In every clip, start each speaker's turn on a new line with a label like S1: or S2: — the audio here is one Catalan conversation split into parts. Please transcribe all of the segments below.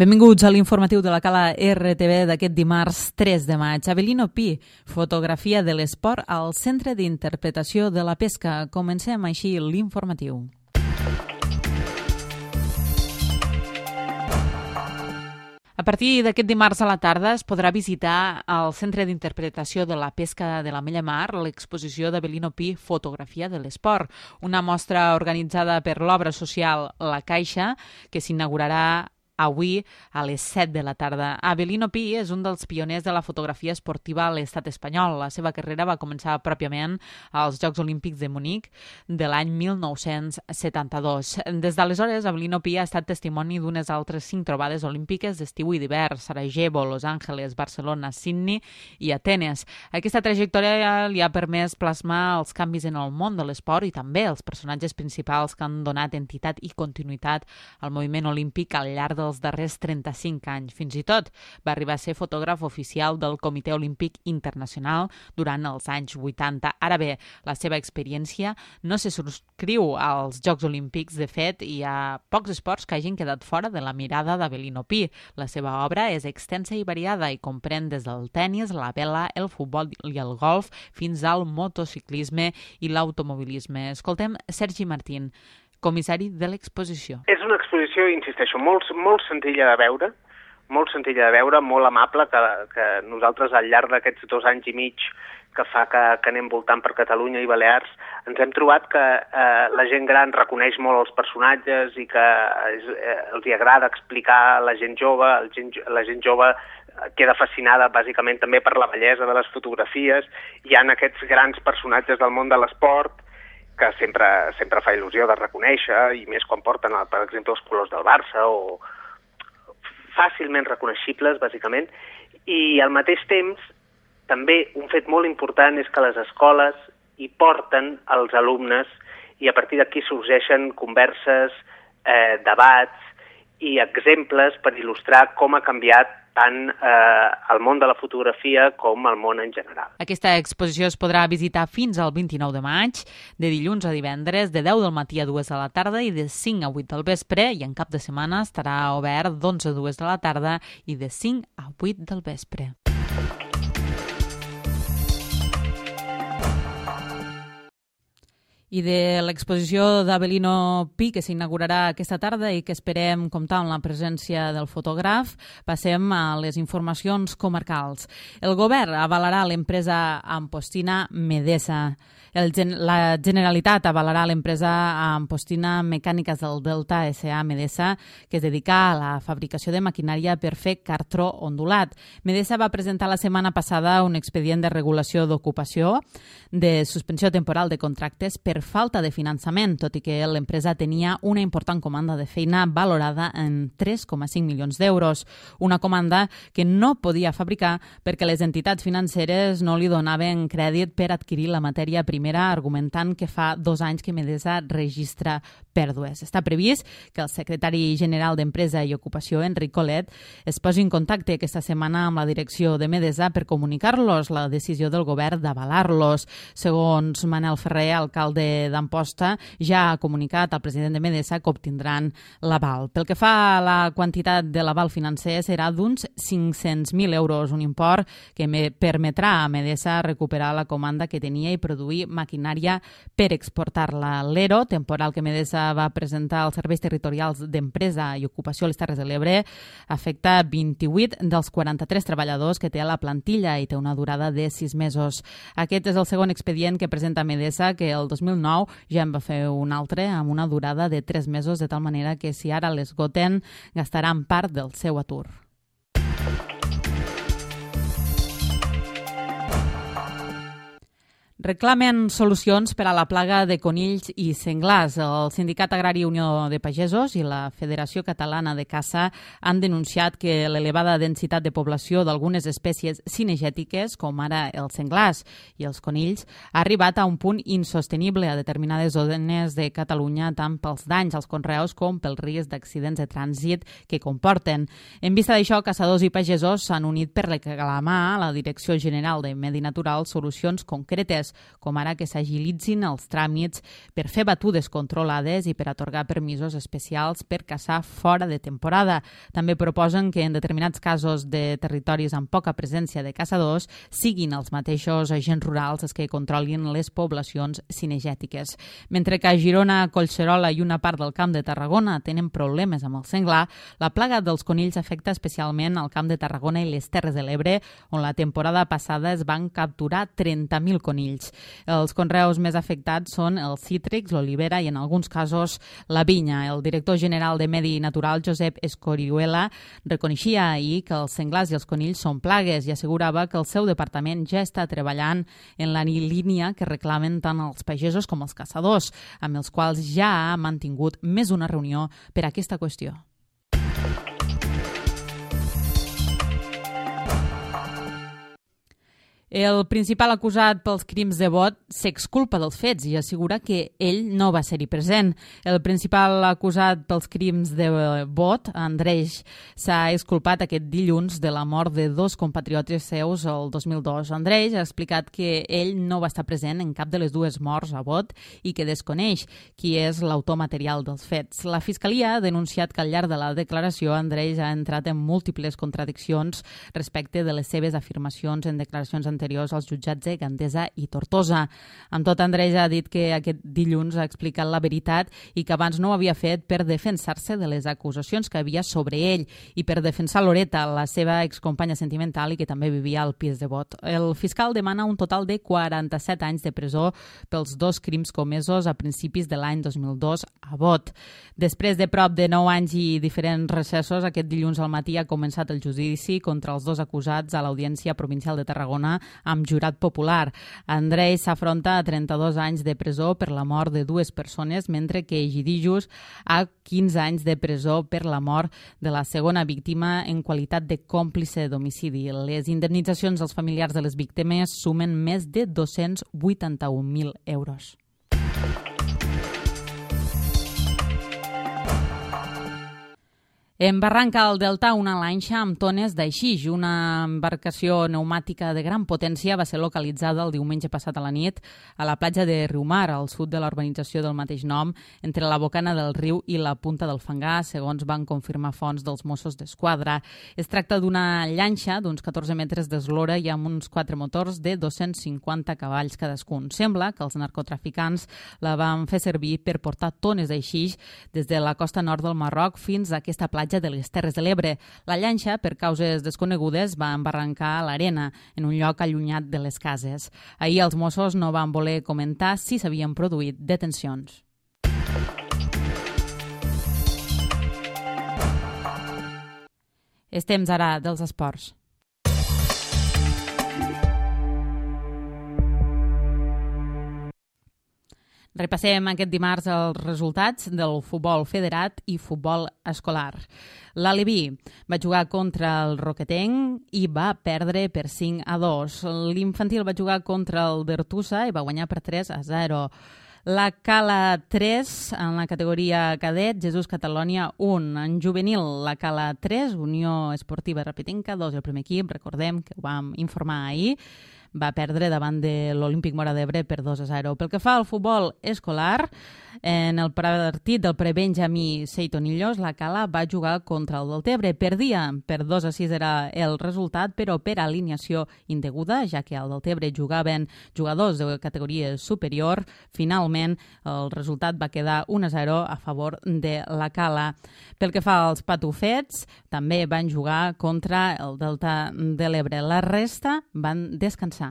S1: Benvinguts a l'informatiu de la Cala RTV d'aquest dimarts 3 de maig. Avelino Pi, fotografia de l'esport al Centre d'Interpretació de la Pesca. Comencem així l'informatiu. A partir d'aquest dimarts a la tarda es podrà visitar al Centre d'Interpretació de la Pesca de la Mella Mar l'exposició d'Avelino Pi, fotografia de l'esport, una mostra organitzada per l'obra social La Caixa, que s'inaugurarà avui a les 7 de la tarda. Avelino Pi és un dels pioners de la fotografia esportiva a l'estat espanyol. La seva carrera va començar pròpiament als Jocs Olímpics de Munic de l'any 1972. Des d'aleshores, Avelino Pi ha estat testimoni d'unes altres 5 trobades olímpiques d'estiu i d'hivern: Sarajevo, Los Angeles, Barcelona, Sydney i Atenes. Aquesta trajectòria li ha permès plasmar els canvis en el món de l'esport i també els personatges principals que han donat entitat i continuïtat al moviment olímpic al llarg dels darrers 35 anys. Fins i tot va arribar a ser fotògraf oficial del Comitè Olímpic Internacional durant els anys 80. Ara bé, la seva experiència no se subscriu als Jocs Olímpics. De fet, hi ha pocs esports que hagin quedat fora de la mirada d'Avelino Pi. La seva obra és extensa i variada i comprèn des del tennis, la vela, el futbol i el golf fins al motociclisme i l'automobilisme. Escoltem Sergi Martín, comissari de l'exposició.
S2: És una exposició, insisteixo, molt senzilla de veure, molt amable, que nosaltres al llarg d'aquests 2 anys i mig que fa que anem voltant per Catalunya i Balears, ens hem trobat que la gent gran reconeix molt els personatges i que els agrada explicar a la gent jove. La gent jove queda fascinada bàsicament també per la bellesa de les fotografies. Hi ha aquests grans personatges del món de l'esport que sempre fa il·lusió de reconèixer, i més quan porten, per exemple, els colors del Barça, o fàcilment reconeixibles, bàsicament. I al mateix temps, també un fet molt important és que les escoles hi porten els alumnes i a partir d'aquí sorgeixen converses, debats i exemples per il·lustrar com ha canviat tant el món de la fotografia com el món en general.
S1: Aquesta exposició es podrà visitar fins al 29 de maig, de dilluns a divendres, de 10 del matí a 2 de la tarda i de 5 a 8 del vespre, i en cap de setmana estarà obert d'11 a 2 de la tarda i de 5 a 8 del vespre. I de l'exposició d'Avelino Pi, que s'inaugurarà aquesta tarda i que esperem comptar amb la presència del fotògraf, passem a les informacions comarcals. El govern avalarà l'empresa ampostina Medesa. La Generalitat avalarà l'empresa ampostina Mecàniques del Delta S.A. Medesa, que es dedica a la fabricació de maquinària per fer cartró ondulat. Medesa va presentar la setmana passada un expedient de regulació d'ocupació de suspensió temporal de contractes per falta de finançament, tot i que l'empresa tenia una important comanda de feina valorada en 3,5 milions d'euros. Una comanda que no podia fabricar perquè les entitats financeres no li donaven crèdit per adquirir la matèria primera, argumentant que fa 2 anys que Medesa registra pèrdues. Està previst que el secretari general d'Empresa i Ocupació, Enric Colet, es posi en contacte aquesta setmana amb la direcció de Medesa per comunicar-los la decisió del govern d'avalar-los. Segons Manel Ferrer, alcalde d'Amposta, ja ha comunicat al president de Medesa que obtindran l'aval. Pel que fa a la quantitat de l'aval financer, serà d'uns 500.000 euros, un import que permetrà a Medesa recuperar la comanda que tenia i produir maquinària per exportar-la. L'ERO, temporal que Medesa va presentar als serveis territorials d'empresa i ocupació a les Terres de l'Ebre, afecta 28 dels 43 treballadors que té a la plantilla i té una durada de 6 mesos. Aquest és el segon expedient que presenta Medesa, que el 2009 ja en va fer un altre amb una durada de 3 mesos, de tal manera que si ara l'esgoten gastaran part del seu atur. Reclamen solucions per a la plaga de conills i senglars. El Sindicat Agrari Unió de Pagesos i la Federació Catalana de Caça han denunciat que l'elevada densitat de població d'algunes espècies cinegètiques, com ara els senglars i els conills, ha arribat a un punt insostenible a determinades zones de Catalunya, tant pels danys als conreus com pel risc d'accidents de trànsit que comporten. En vista d'això, caçadors i pagesos s'han unit per reclamar a la Direcció General de Medi Natural solucions concretes. mesures, com ara que s'agilitzin els tràmits per fer batudes controlades i per atorgar permisos especials per caçar fora de temporada. També proposen que en determinats casos de territoris amb poca presència de caçadors siguin els mateixos agents rurals els que controlin les poblacions cinegètiques. Mentre que a Girona, Collserola i una part del Camp de Tarragona tenen problemes amb el senglar, la plaga dels conills afecta especialment al Camp de Tarragona i les Terres de l'Ebre, on la temporada passada es van capturar 30.000 conills. Els conreus més afectats són els cítrics, l'olivera i en alguns casos la vinya. El director general de Medi Natural, Josep Escorihuela, reconeixia ahir que els senglars i els conills són plagues i assegurava que el seu departament ja està treballant en la línia que reclamen tant els pagesos com els caçadors, amb els quals ja ha mantingut més d'una reunió per a aquesta qüestió. El principal acusat pels crims de vot s'exculpa dels fets i assegura que ell no va ser-hi present. El principal acusat pels crims de vot, Andreix, s'ha exculpat aquest dilluns de la mort de dos compatriotes seus el 2002. Andreix ha explicat que ell no va estar present en cap de les dues morts a vot i que desconeix qui és l'autor material dels fets. La Fiscalia ha denunciat que al llarg de la declaració Andreix ha entrat en múltiples contradiccions respecte de les seves afirmacions en declaracions anteriors als jutjats de Gandesa i Tortosa. Amb tot, Andreix ha dit que aquest dilluns ha explicat la veritat i que abans no ho havia fet per defensar-se de les acusacions que havia sobre ell i per defensar Loreta, la seva excompanya sentimental i que també vivia al pis de vot. El fiscal demana un total de 47 anys de presó pels dos crims comesos a principis de l'any 2002 a vot. Després de prop de 9 anys i diferents recessos, aquest dilluns al matí ha començat el judici contra els dos acusats a l'Audiència Provincial de Tarragona amb jurat popular. Andrei s'afronta a 32 anys de presó per la mort de dues persones, mentre que Egidijus a 15 anys de presó per la mort de la segona víctima en qualitat de còmplice d'homicidi. Les indemnitzacions als familiars de les víctimes sumen més de 281.000 euros. En Barranca al Delta, una lanxa amb tones d'aixix, una embarcació pneumàtica de gran potència, va ser localitzada el diumenge passat a la nit a la platja de Riumar, al sud de la urbanització del mateix nom, entre la bocana del riu i la punta del Fangar, segons van confirmar fonts dels Mossos d'Esquadra. Es tracta d'una llanxa d'uns 14 metres d'eslora i amb uns 4 motors de 250 cavalls cadascun. Sembla que els narcotraficants la van fer servir per portar tones d'aixix des de la costa nord del Marroc fins a aquesta platja de les Terres de l'Ebre. La llanxa, per causes desconegudes, va embarrancar a l'arena, en un lloc allunyat de les cases. Ahir els Mossos no van voler comentar si s'havien produït detencions. És temps ara dels esports. Repassem aquest dimarts els resultats del futbol federat i futbol escolar. L'Aleví va jugar contra el Roquetenc i va perdre per 5-2. L'infantil va jugar contra el Bertussa i va guanyar per 3-0. La Cala 3 en la categoria cadet, Jesús Catalònia 1. En juvenil, la Cala 3, Unió Esportiva Repetenca 2, el primer equip, recordem que ho vam informar ahir, va perdre davant de l'Olímpic Móra d'Ebre per 2-0. Pel que fa al futbol escolar, en el partit del prebenjamí Seitonillos, la Cala va jugar contra el Deltebre. Perdia per 2-6 era el resultat, però per alineació indeguda, ja que al Deltebre jugaven jugadors de categoria superior. Finalment, el resultat va quedar 1-0 a favor de la Cala. Pel que fa als patufets, també van jugar contra el Delta de l'Ebre. La resta van descansar.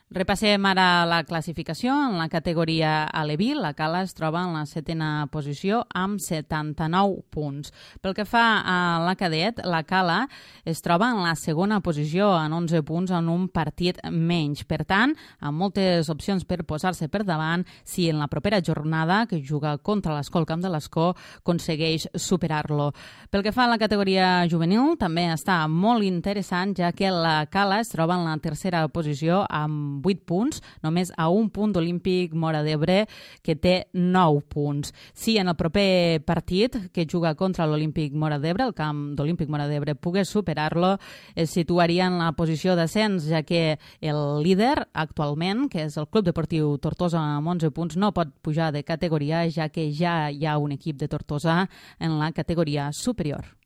S1: Repassem ara la classificació. En la categoria Aleví, la Cala es troba en la 7a posició amb 79 punts. Pel que fa a la cadet, la Cala es troba en la 2a posició amb 11 punts en un partit menys. Per tant, amb moltes opcions per posar-se per davant si en la propera jornada, que juga contra l'Escol Camp de l'Escó, aconsegueix superar-lo. Pel que fa a la categoria juvenil, també està molt interessant, ja que la Cala es troba en la 3a posició amb amb 8 punts, només a un punt d'Olímpic Móra d'Ebre, que té 9 punts. Si en el proper partit que juga contra l'Olímpic Móra d'Ebre, el camp d'Olímpic Móra d'Ebre, pogués superar-lo, es situaria en la posició d'ascens, ja que el líder actualment, que és el Club Deportiu Tortosa amb 11 punts, no pot pujar de categoria, ja que ja hi ha un equip de Tortosa en la categoria superior.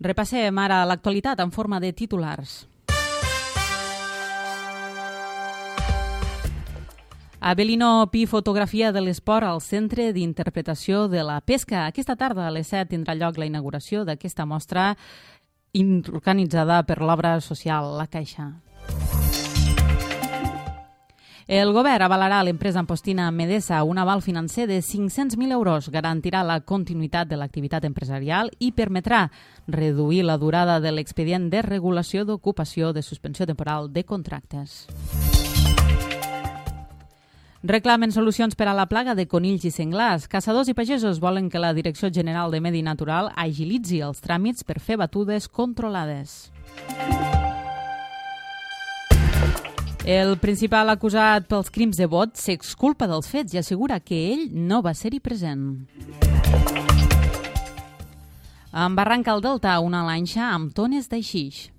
S1: Repassem ara l'actualitat en forma de titulars. Avelino Pi, fotografia de l'esport al Centre d'Interpretació de la Pesca. Aquesta tarda a les 7 tindrà lloc la inauguració d'aquesta mostra organitzada per l'obra social La Caixa. El govern avalarà a l'empresa ampostina Medesa un aval financer de 500.000 euros, garantirà la continuïtat de l'activitat empresarial i permetrà reduir la durada de l'expedient de regulació d'ocupació de suspensió temporal de contractes. Reclamen solucions per a la plaga de conills i senglars. Caçadors i pagesos volen que la Direcció General de Medi Natural agilitzi els tràmits per fer batudes controlades. El principal acusat pels crims de vot s'exculpa dels fets i assegura que ell no va ser-hi present. En Barranc al Delta, una lanxa amb tones d'aixix.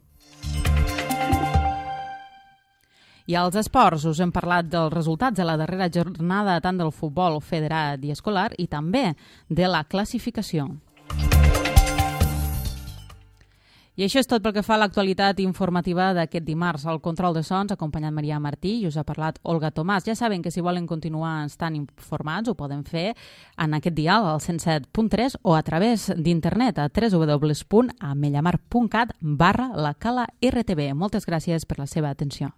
S1: I als esports us hem parlat dels resultats de la darrera jornada tant del futbol federat i escolar i també de la classificació. I això és tot pel que fa a l'actualitat informativa d'aquest dimarts. Al control de sons ha acompanyat Maria Martí i us ha parlat Olga Tomàs. Ja saben que si volen continuar estant informats ho poden fer en aquest dial al 107.3 o a través d'internet a www.amellamar.cat/la Cala RTV. Moltes gràcies per la seva atenció.